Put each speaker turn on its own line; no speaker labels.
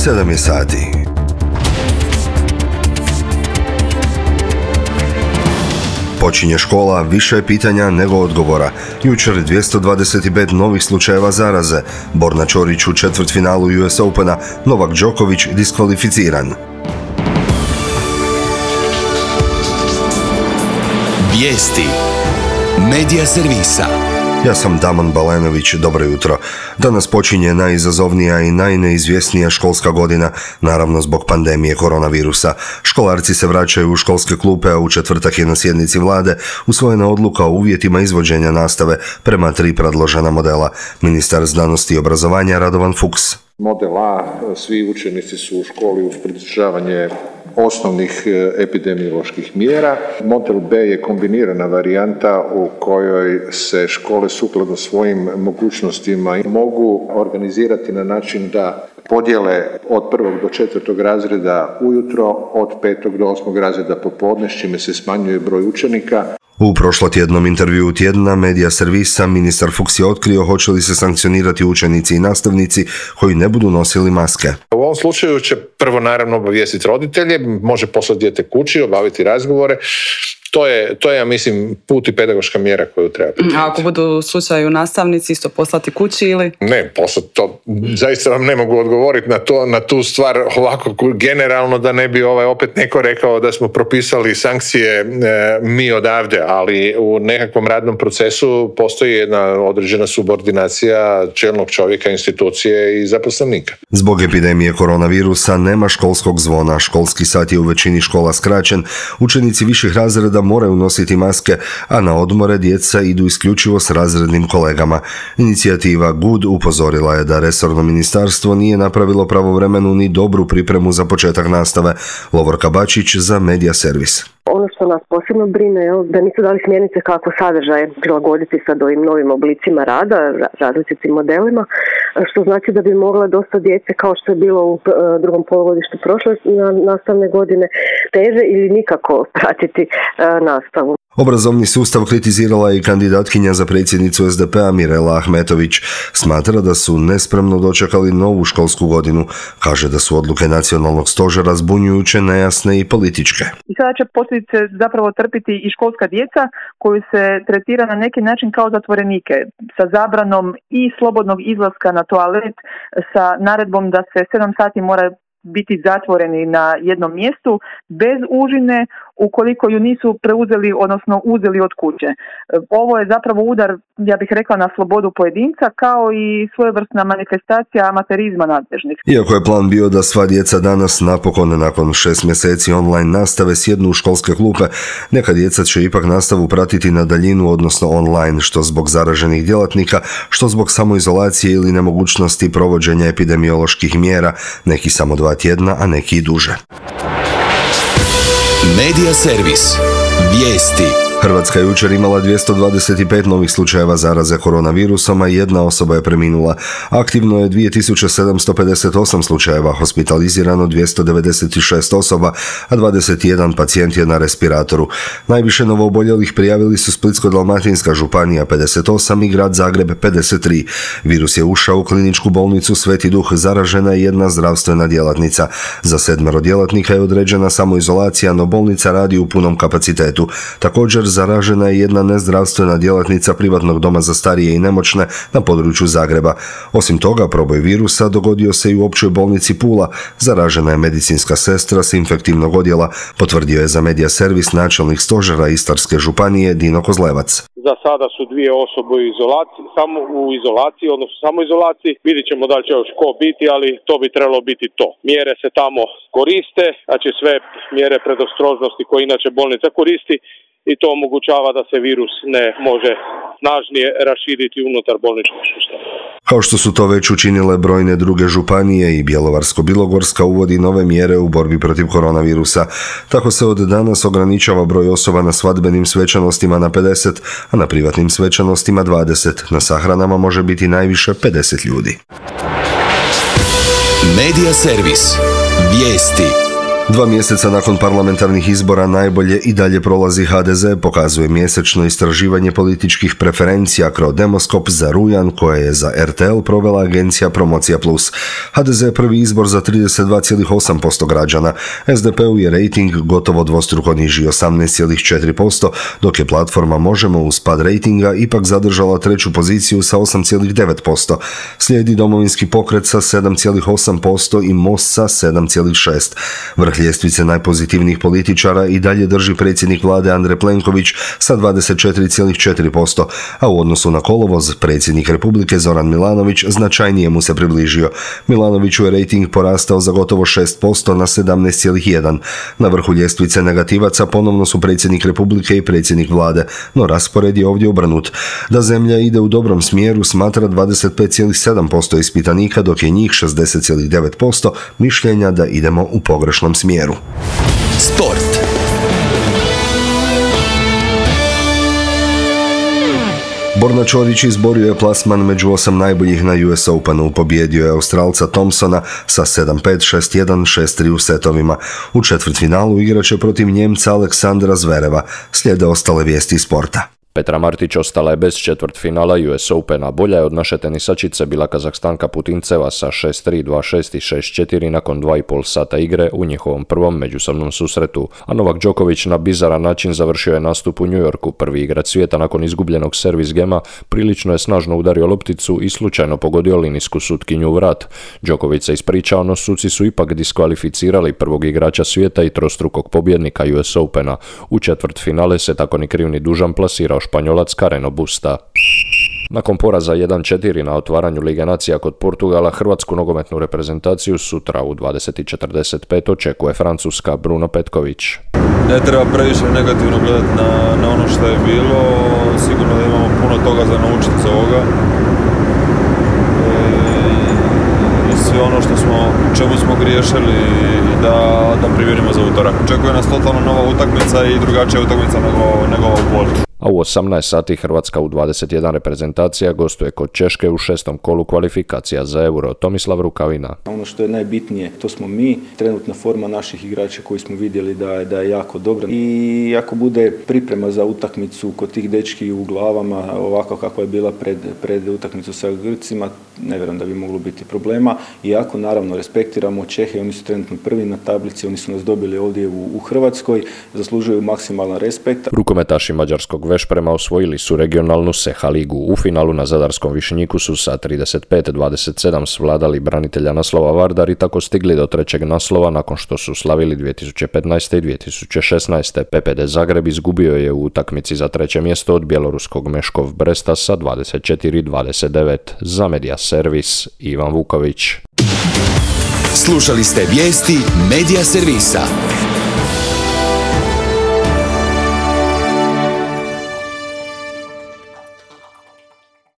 7 je sati. Počinje škola, više je pitanja nego odgovora. Jučer 225 novih slučajeva zaraze. Borna Ćorić u četvrtfinalu US Opena, Novak Đoković diskvalificiran.
Vijesti Medija servisa.
Ja sam Damon Balenović, dobro jutro. Danas počinje najizazovnija i najneizvjesnija školska godina, naravno zbog pandemije koronavirusa. Školarci se vraćaju u školske klupe, a u četvrtak je na sjednici vlade usvojena odluka o uvjetima izvođenja nastave prema 3 predložena modela. Ministar znanosti i obrazovanja Radovan Fuchs.
Model A, svi učenici su u školi uz pridržavanje osnovnih epidemioloških mjera. Model B je kombinirana varijanta u kojoj se škole sukladno svojim mogućnostima mogu organizirati na način da podijele od 1. do 4. razreda ujutro, od 5. do 8. razreda popodne, s čime se smanjuje broj učenika.
U prošlotjednom intervjuu tjedna Medija servisa ministar Fuchs je otkrio hoće li se sankcionirati učenici i nastavnici koji ne budu nosili maske.
U ovom slučaju će prvo naravno obavijestiti roditelje, može poslati dijete kući, obaviti razgovore. To je, ja mislim, put i pedagoška mjera koju treba primijeniti.
A ako budu u slučaju nastavnici isto poslati kući ili?
Ne, poslati to, zaista vam ne mogu odgovoriti na tu stvar ovako generalno, da ne bi opet neko rekao da smo propisali sankcije mi odavde, ali u nekakvom radnom procesu postoji jedna određena subordinacija čelnog čovjeka, institucije i zaposlenika.
Zbog epidemije koronavirusa nema školskog zvona, školski sat je u većini škola skraćen, učenici viših razreda moraju nositi maske, a na odmore djeca idu isključivo s razrednim kolegama. Inicijativa GUD upozorila je da resorno ministarstvo nije napravilo pravovremenu ni dobru pripremu za početak nastave. Lovorka Bačić za Medija servis.
Ono što nas posebno brine je da nisu dali smjernice kako sadržaje prilagoditi sad ovim novim oblicima rada, različitim modelima, što znači da bi mogla dosta djece, kao što je bilo u drugom polugodištu prošle nastavne godine, teže ili nikako pratiti nastavu.
Obrazovni sustav kritizirala je i kandidatkinja za predsjednicu SDP-a Mirela Ahmetović. Smatra da su nespremno dočekali novu školsku godinu. Kaže da su odluke nacionalnog stožera zbunjujuće, nejasne i političke.
I sada će posljedice zapravo trpiti i školska djeca koju se tretira na neki način kao zatvorenike, sa zabranom i slobodnog izlaska na toalet, sa naredbom da se 7 sati mora biti zatvoreni na jednom mjestu bez užine ukoliko ju nisu preuzeli, odnosno uzeli od kuće. Ovo je zapravo udar, ja bih rekla, na slobodu pojedinca, kao i svojevrsna manifestacija amaterizma nadležnih.
Iako je plan bio da sva djeca danas napokon nakon 6 mjeseci online nastave sjednu u školske klupe, neka djeca će ipak nastavu pratiti na daljinu, odnosno online, što zbog zaraženih djelatnika, što zbog samoizolacije ili nemogućnosti provođenja epidemioloških mjera, neki samo 2 tjedna, a neki i duže.
Medija servis. Vijesti.
Hrvatska je jučer imala 225 novih slučajeva zaraze koronavirusom, a 1 osoba je preminula. Aktivno je 2758 slučajeva, hospitalizirano 296 osoba, a 21 pacijent je na respiratoru. Najviše novooboljelih prijavili su Splitsko-dalmatinska županija 58 i grad Zagreb 53. Virus je ušao u kliničku bolnicu Sveti Duh, zaražena je 1 zdravstvena djelatnica. Za 7 djelatnika je određena samoizolacija, no bolnica radi u punom kapacitetu. Također zaražena je 1 nezdravstvena djelatnica privatnog doma za starije i nemoćne na području Zagreba. Osim toga, proboj virusa dogodio se i u općoj bolnici Pula. Zaražena je medicinska sestra s infektivnog odjela, potvrdio je za Medija servis načelnik stožera Istarske županije Dino Kozlevac.
Za sada su 2 osobe u izolaciji, odnosno samoizolaciji. Vidjet ćemo da li će još ko biti, ali to bi trebalo biti to. Mjere se tamo koriste, znači sve mjere predostrožnosti koje inače bolnica koristi, i to omogućava da se virus ne može snažnije raširiti unutar bolničkog sustava.
Kao što su to već učinile brojne druge županije, i Bjelovarsko-bilogorska uvodi nove mjere u borbi protiv koronavirusa. Tako se od danas ograničava broj osoba na svadbenim svečanostima na 50, a na privatnim svečanostima 20. Na sahranama može biti najviše 50 ljudi.
Medija servis. Vijesti.
2 mjeseca nakon parlamentarnih izbora najbolje i dalje prolazi HDZ, pokazuje mjesečno istraživanje političkih preferencija Crodemoskop za rujan koje je za RTL provela agencija Promocija Plus. HDZ je prvi izbor za 32,8% građana, SDP-u je rejting gotovo dvostruko niži 18,4%, dok je platforma Možemo uz pad rejtinga ipak zadržala treću poziciju sa 8,9%. Slijedi Domovinski pokret sa 7,8% i Most sa 7,6%. Vrh ljestvice najpozitivnijih političara i dalje drži predsjednik vlade Andrej Plenković sa 24,4%, a u odnosu na kolovoz predsjednik Republike Zoran Milanović značajnije mu se približio. Milanoviću je rejting porastao za gotovo 6% na 17,1%. Na vrhu ljestvice negativaca ponovno su predsjednik Republike i predsjednik vlade, no raspored je ovdje obrnut. Da zemlja ide u dobrom smjeru smatra 25,7% ispitanika, dok je njih 60,9% mišljenja da idemo u pogrešnom smjeru.
Sport.
Borna Ćorić izborio je plasman među 8 najboljih na US Openu, pobijedio je Australca Thompsona sa 7-5, 6-1, 6-3 u setovima. U četvrtfinalu igraće protiv Njemca Aleksandra Zvereva. Slijede ostale vijesti sporta.
Petra Martić ostala je bez četvrtfinala US Opena. Bolja je od naše tenisačice bila Kazahstanka Putinceva sa 6-3, 2-6 i 6-4 nakon 2,5 sata igre u njihovom prvom međusobnom susretu. A Novak Đoković na bizaran način završio je nastup u New Yorku. Prvi igrač svijeta nakon izgubljenog servis gema prilično je snažno udario lopticu i slučajno pogodio linijsku sutkinju u vrat. Đoković se ispričao, no suci su ipak diskvalificirali prvog igrača svijeta i trostrukog pobjednika US Opena. U četvrtfinale se tako ni kriv ni dužan plasirao Španjolac Carreno Busta. Nakon poraza 1-4 na otvaranju Lige nacija kod Portugala, hrvatsku nogometnu reprezentaciju sutra u 20:45 očekuje Francuska Bruno Petković.
Ne treba previše negativno gledati na ono što je bilo, sigurno da imamo puno toga za naučiti za ovoga. I sve ono čemu smo griješili da primjerimo za utorak. Očekuje nas totalno nova utakmica i drugačija utakmica nego ova u Portu.
A u 18 sati Hrvatska u 21 reprezentacija gostuje kod Češke u 6. kolu kvalifikacija za Euro. Tomislav Rukavina.
Ono što je najbitnije, to smo mi, trenutna forma naših igrača koji smo vidjeli da je jako dobra. I ako bude priprema za utakmicu kod tih dečki u glavama, ovako kakva je bila pred utakmicu sa Grcima, ne vjerujem da bi moglo biti problema. Iako naravno respektiramo Čehe, oni su trenutno prvi na tablici, oni su nas dobili ovdje u Hrvatskoj, zaslužuju maksimalan respekt.
Rukometaši mađarskog Vešprema osvojili su regionalnu Seha ligu. U finalu na zadarskom Višnjiku su sa 35-27 svladali branitelja naslova Vardar i tako stigli do trećeg naslova nakon što su slavili 2015. i 2016. PPD Zagreb izgubio je u utakmici za treće mjesto od bjeloruskog Meškov Bresta sa 24-29. Za Media Servis Ivan Vuković.
Slušali ste vijesti Media Servisa.